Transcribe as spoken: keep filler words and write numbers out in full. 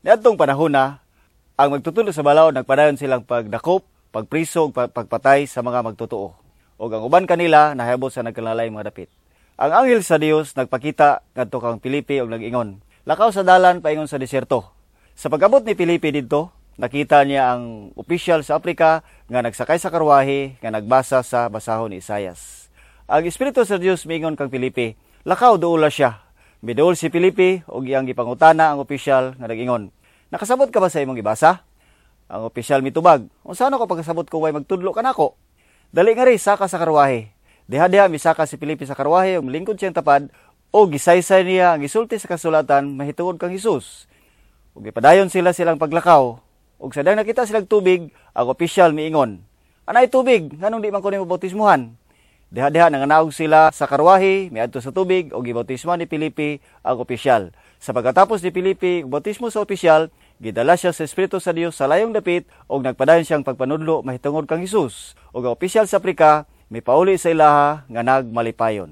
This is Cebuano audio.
Niadtong panahon na, ang magtutudlo sa balaod nagpadayon silang pagdakop, pagpriso ug pagpatay sa mga magtotoo. Ug ang uban kanila nahiabot sa nagkalainlaing mga dapit. Ang anghel sa Dios nagpakita ngadto kang Felipe ug nag-ingon, "Lakaw sa dalan paingon sa disyerto." Sa pag-abot ni Felipe didto, nakita niya ang opisyal sa Afrika nga nagsakay sa karwahe nga nagbasa sa basahon ni Isayas. Ang Espiritu sa Dios miingon kang Felipe, "Lakaw, duola siya." Miduol si Felipe ug iyang gipangutana ang opisyal nga nag-ingon, "Nakasabot ka ba sa imong gibasa?" Ang opisyal mitubag, "Unsa ko pagkasabot kung way magtudlo kanako?" "Dali ngari, saka sa karwahe." Diha-diha misaka si Felipe sa karwahe ug lingkod siyang tapad ug gisaysay niya ang gisulti sa kasulatan mahitungod kang Hesus. Ug gipadayon sila silang paglakaw. Ug sa nakita silang tubig, ang opisyal miingon, "Anay tubig, nganong di man ko nimo bautismuhan?" Diha-diha nanganaog sila sa karwahe, miadto sa tubig ug gibautismo ni Felipe ang opisyal. Sa pagkatapos ni Felipe bautismo sa opisyal, gidala siya sa Espiritu sa Dios sa layong dapit ug nagpadayon siyang pagpanudlo mahitungod kang Hesus. Ug ang opisyal sa Afrika mipauli sa ilaha nga nagmalipayon.